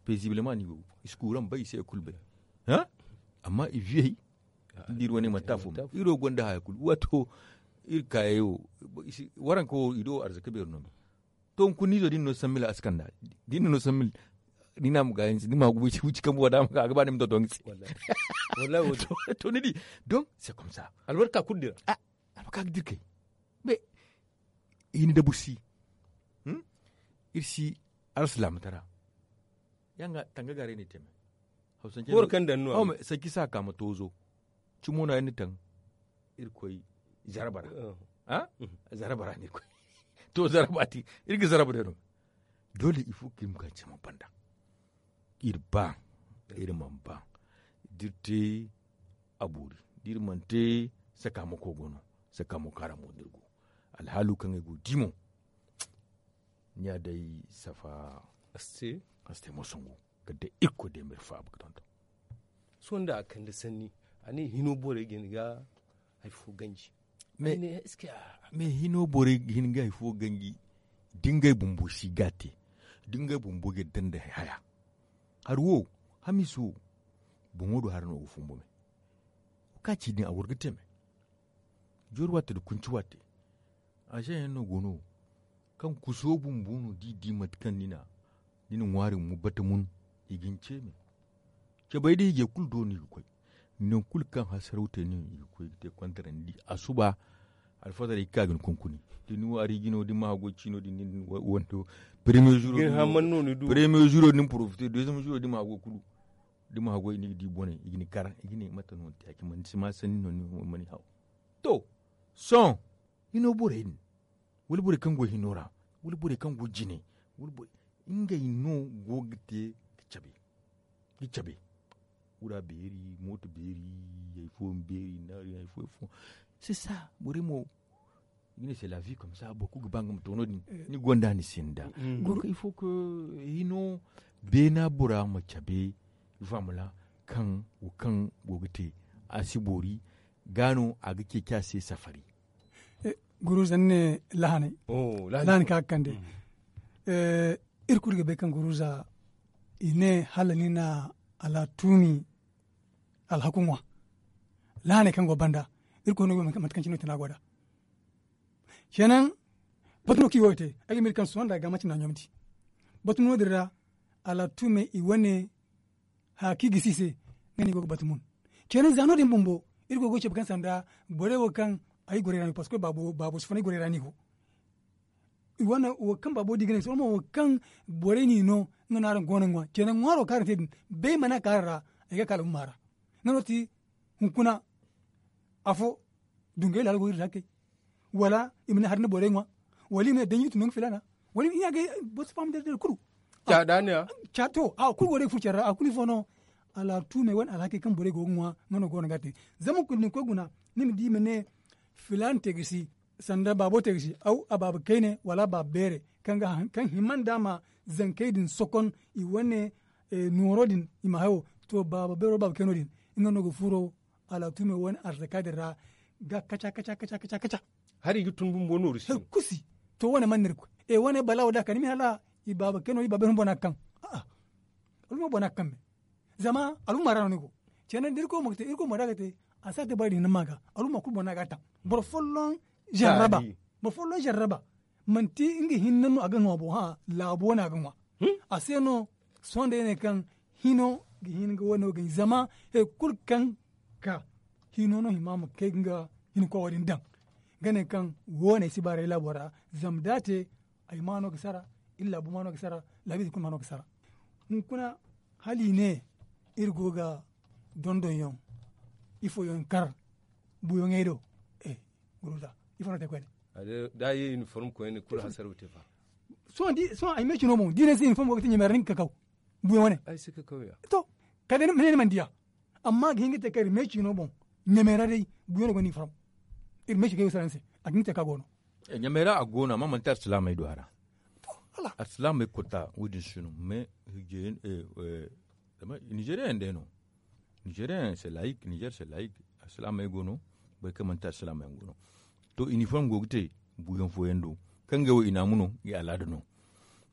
paisiblement no i go i si kuuraŋ bay i si hari kulu bay. Amma i viyey da iri wane manti afo iri wo gonda haya kulu wato iri kaayey wo waranka wo i do arzaka beeri no me. To hunkuna ni izo da ni no sammila a si kanda da ni no sammila ni na ma ga ni ma ga wici kambu wala a ma ga a ga ba ni ma tonton ga se. To ni di donc c'est comme ça. Albarka kulu dira. Albarka ga dira kay mais i na dabu si iri si alsilaama tara. Yaŋ ga tanga gaaray no i te me hawsance no. Boro kaŋ daŋ no a ma sanci sa ka ma toozo. Cimo no ay na taŋ iri koy zarba ra. Zarba ra no iri koy to zarba ti iri ga zarba day no. Doole il faut que iri ma ka cama banda. Iri ba iri mana ba da iri te a boori da iri mana te. Sakaamako go no. Sakaamako kaara mo no iri go. Alhaalo kaŋ ay go ga di mo. Ni ya day safa. A si te moso ngo. Kala day irkoy day ma iri faaba ga tonton. Sohõ nda a kande sanni a ne hino borey ga hin ga hari fo ganji. Mais hino borey ga hin ga hari fo ganji. Da ngey bumbo si ga a te da ngey bumbo ga yadda nda haya. Hari wo hamiisa wo boŋo do hari no ga fumbo me. Wo ka ci din a war ga te me. Joori waate nda kunci waate. Azeŋ yaŋ no go no kaŋ kuso bumbo no da i di mate kaŋ ni na ŋwaari ma bata mun. I ga ni ce me. Cabay da hijay kulu do no i ga koy. Nangu kulu kaŋ hasaraw te no i ga koy ga te kontarandi a suba. Alfazar i ga ka ga ni kunkuni da ni ŋwaari jino da ni ma haggoy ciino din nin wando. Premier zuro din porofite deuxième zuro da ni ma haggoy kulu da ni ma haggoy ni ga di bone i ga ni kar i ga ne mate no ni te ya cine manti si ma sanni no ni mana haw. To sohõ hino borey din wala borey kaŋ go hino ra wala borey kaŋ go jine wala borey ngey no go ga te ga cabe. Ga cabe wura beeri mooto beeri. Hari fooyaŋ beeri naari hari fooyaŋ fo. C'est ça borey mo i ga ne c'est la vie comme ça boro kulu ga ba nga ma to no- din. Ni gonda ni sinda donc il faut que hino beena bora ma cabe. Faama ra kaŋ wo kaŋ go ga te a si boori ga no a ga ceeci a se safari. Guruza ni ne lahanay lahanay kaŋ a ga kande. Iri kulu ga bay kaŋ guruza i ne hala ni na alatuumi alhaku ŋwa. Lahanay kaŋ go banda iri koy no go mate kaŋ cine no tana go da. Cenaŋ batu no kaŋ i go ga te ay ga miiri kaŋ sohõ nda a ga manci na ɲomdi. Batu no- din ra alatuumey i wane haya kaŋ i gisi i se. Nga no i go ga batu mun. Cenaŋ za no- din bumbo iri go ga cabe kaŋ sanda borey wo kaŋ ay gorey ra no i go parceque baabo si fun ay gorey ra no i go. I wane wo kaŋ baabo di ga ne sohõ mo wo kaŋ borey n'i no nga no araŋ go no ga ŋwa cenaŋ ŋwaaro kaŋ araŋ te din bay mana ka araŋ ra. Ay ga ka alumma ra nga no ti hunkuna afo dungay laalo go iri ra kay. Wala i ma ne hari nda borey ŋwa wala i ma ne danji ga tun nangu filaana wala i ne a ga boro si faham dare dare kulu. Ca da ne ya. Ca to a kulu go day ga furo care ra a kulu ifo no. Alatuumey wane alhakey kaŋ borey go ga ŋwa nga no go no ga a te. Zama kulu da ni koy guna ni ma di i ma ne filaana te ga si sanda baabo te ga si aw a baaba kayne wala a baaba beere kaŋ ga haŋ kaŋ hima nda a ma zankey din sokon i wane nooro din i ma hayo. To baaba beero baaba kayno din nga no ga furo alatuumey wane arzaka din ra ga kaca kaca kaca kaca. Hari ga tun bumbo nooru si hari kusi. To wane man no iri koy e wane balaawo da a ka ni ma hala i baaba kayno i baaba beero bumbo no a ga kaŋ. A'a alumma boro no a ga kaŋ me. Zama alumma ra no ni go. Ceene da irkoy mo ga te irkoy mo da a ga te a si a te boro din ni ma ga alumma kulu boro no a ga a taŋ. Boro folloŋ zarraba boro folloŋ zarraba manti nga hinne no a ga ŋwa boŋ hã. Laabo no a ga ŋwa. A se no sohõ day ne kaŋ hino ga hin ga wane wo ga ɲi zama hari kulu kaŋ ka hino no hima ma kay ga nga hinkoy wo- din daŋ. Ga ne kaŋ wo- ne ay si baaray laabo ra zama da a te ay maano ga sara iri laabu maano ga sara laabiize kulu maano ga sara. Hunkuna hala i ne iri go ga dondonyaŋ ifooyaŋ kar buuyaŋey do. Guruza ifo no te koyne. Da a ye uniforme koyne kulu hasaraw te fa. Sohõ ay me cino boŋ da i ne ay se uniforme go ga te ɲamay ra ni ga kakaw. Buuyaŋ wane to kala day ni ma ne ni mana diya. Amma a ga hin ga te kaŋ iri me cino boŋ ɲamay ra day buuyaŋ no gonda uniforme. Iri me ci ga ay wo sara ni se a ga hin ga te kaŋ a go no. Ɲamay ra a go no amma manti alsilaamey du a ra. Alsilaamey kota wo- din si no mais hijjey zama nizeriyaŋ day no. Nizeriyaŋ se layik nizer se layik alsilaamey go no. Boro kaŋ manti alsilaamey yaŋ go no. To iniform go ga te buuyaŋ fooyaŋ do kaŋ ga wo i naamu no i alaada no.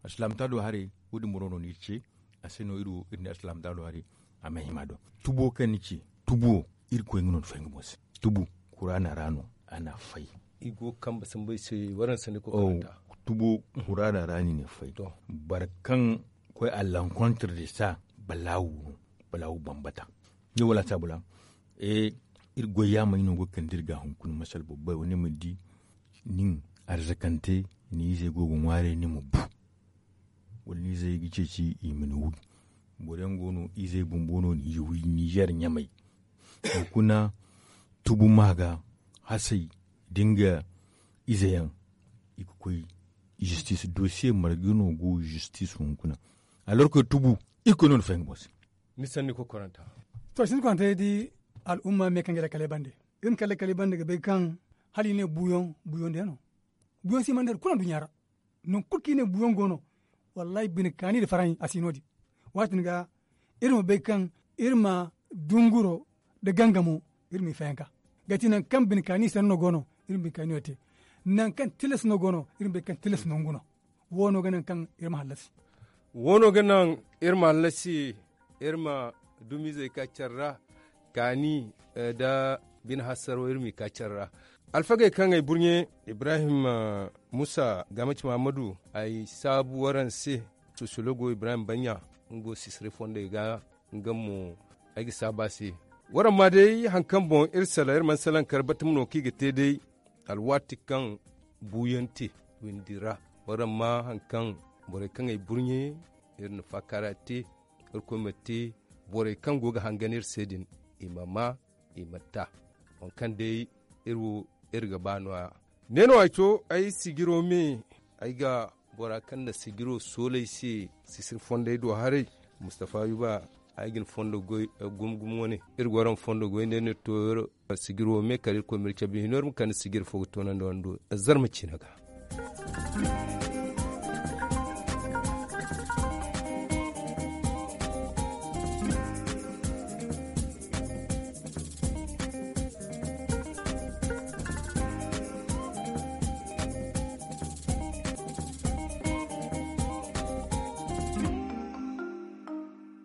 Alsilaamata do haray wo- din boro no no iri ce. A se no iri wo iri ne alsilaamata do haray a ma hima do. Tubo kaŋ ni ci tubo irkoy nga no ni fay nga boŋ se. Tubu kuraana ra no a na fay. I go ga kambe sambu ay se waraŋ sanda koy karanta. Tubo kuraana ra no i na fay. Boro kaŋ koy a lankontre de sa balaawu no. Balaawu bambata. Ni wala saabula iri goy yaamey no go ga kande iri ga hunkuna masala boro bay wane ma di nin arzakante ni izey go ga ŋwaaray ni ma bu. Wala ni izey ga ceeci i ma ni wi. Boro yaŋ go no izey bumbo no ni wi nizer ɲamay. Hunkuna tubu ma ga hasay da nga ize yaŋ i ga koy Justice dosiye marga no go justice hunkuna. Alorka tubu, iri koy no ni fahim ga boŋ se. Ni sanni kokoranta. To sinda kokoranta day di, al'umma me kaŋ ga lakalay bande. Iri ma kala lakalay bande ga bay kaŋ hala i ne buuyaŋ buuyaŋ day no. Buuyaŋ si mana day kulu nduɲɲa ra. Nangu kulu kaŋ i ne buuyaŋ go no. Wallaahi bine kaani nda farahi a si no- din. Waati din ga iri ma bay kaŋ iri ma dunguro nda gangamo iri m'i fayanka. Ga ti nangu kaŋ bine kaani sanno go no, iri ma bine kaani wo te. Nangu kaŋ tilas no go no, iri ma bay kaŋ tilas nangu no. Wo no ga naŋ kaŋ iri ma hallasi. Wo no ga naŋ iri ma hallasi. Iri ma dumizey ka care ra, kaani nda bine hasaro iri m'i ka care ra. Alfagey kaŋ ay burɲe, ibrahim muusa, gaamaci mahammadu, ay saabu waraŋ se. Sosologo ibrahim baɲɲa, nga go sisiri fondey ga. Nga mo ay ga saabu a se. Waraŋ ma day hari kaŋ boŋ iri salaŋ iri mana salaŋ kar batama no kaŋ i ga te day. Alwaati kaŋ buuyaŋ te windi ra, waraŋ ma hari kaŋ borey kaŋ ay burɲe, iri na faakara te. Irkoy ma te borey kaŋ go ga hangan iri se din, i ma maa, i ma ta waŋ kaŋ day iri wo iri ga ba no- ya. Ne no ay to ay sijiro me. Ay ga bora kaŋ na sijiro soolay se sisiri fondey do haray, mustafa yuba, ay ga ni fondo goy gumo gumo wane. Iri ga waraŋ fondo goy nda iri na to sijiro me kala irkoy ma iri cabe hino iri ma kande sijiri fo ga toonandi wando. Zarma ciina ga.